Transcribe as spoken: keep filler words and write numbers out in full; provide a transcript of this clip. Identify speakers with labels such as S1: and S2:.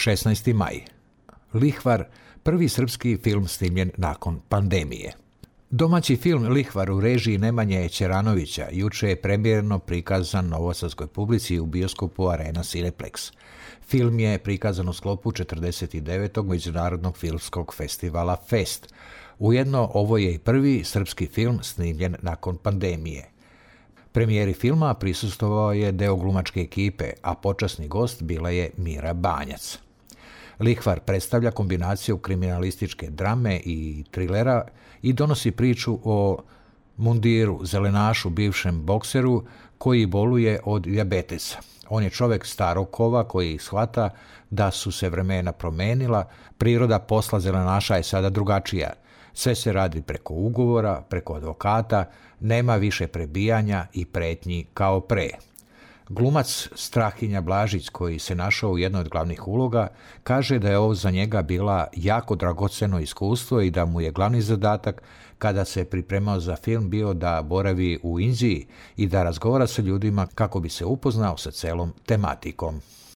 S1: šesnaesti maj. Lihvar, prvi srpski film snimljen nakon pandemije. Domaći film Lihvar u režiji Nemanje Ćeranovića juče je premijerno prikazan novosadskoj publici u bioskopu Arena Cineplex. Film je prikazan u sklopu četrdeset devetog Međunarodnog filmskog festivala Fest. Ujedno, ovo je i prvi srpski film snimljen nakon pandemije. Premijeri filma prisustvovao je deo glumačke ekipe, a počasni gost bila je Mira Banjac. Lihvar predstavlja kombinaciju kriminalističke drame i trilera i donosi priču o Mundiru, zelenašu, bivšem bokseru koji boluje od dijabetesa. On je čovjek starog kova koji shvata da su se vremena promenila, priroda posla zelenaša je sada drugačija. Sve se radi preko ugovora, preko advokata, nema više prebijanja i pretnji kao pre. Glumac Strahinja Blažić, koji se našao u jednoj od glavnih uloga, kaže da je ovo za njega bila jako dragoceno iskustvo i da mu je glavni zadatak kada se pripremao za film bio da boravi u Indiji i da razgovara sa ljudima kako bi se upoznao sa celom tematikom.